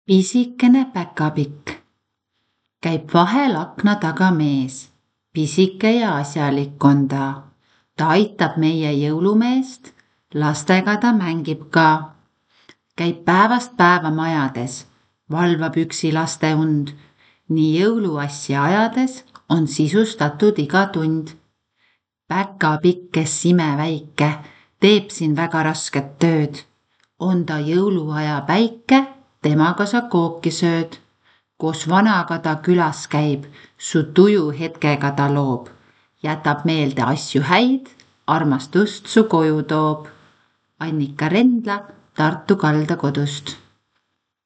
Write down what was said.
Pisikene päkapikk. Käib vahel akna taga mees. Pisike ja asjalik on ta. Ta aitab meie jõulumeest, lastega ta mängib ka. Käib päevast päeva majades, valvab üksi laste und. Nii jõuluasja ajades on sisustatud iga tund. Päkapikk, kes imeväike, teeb siin väga rasket tööd. On ta jõuluaja päike, temaga sa kooki sööd. Koos vanaga ta külas käib, su tuju hetkega ta loob. Jätab meelde asju häid, armastust su koju toob. Annika Rendla Tartu kaldakodust.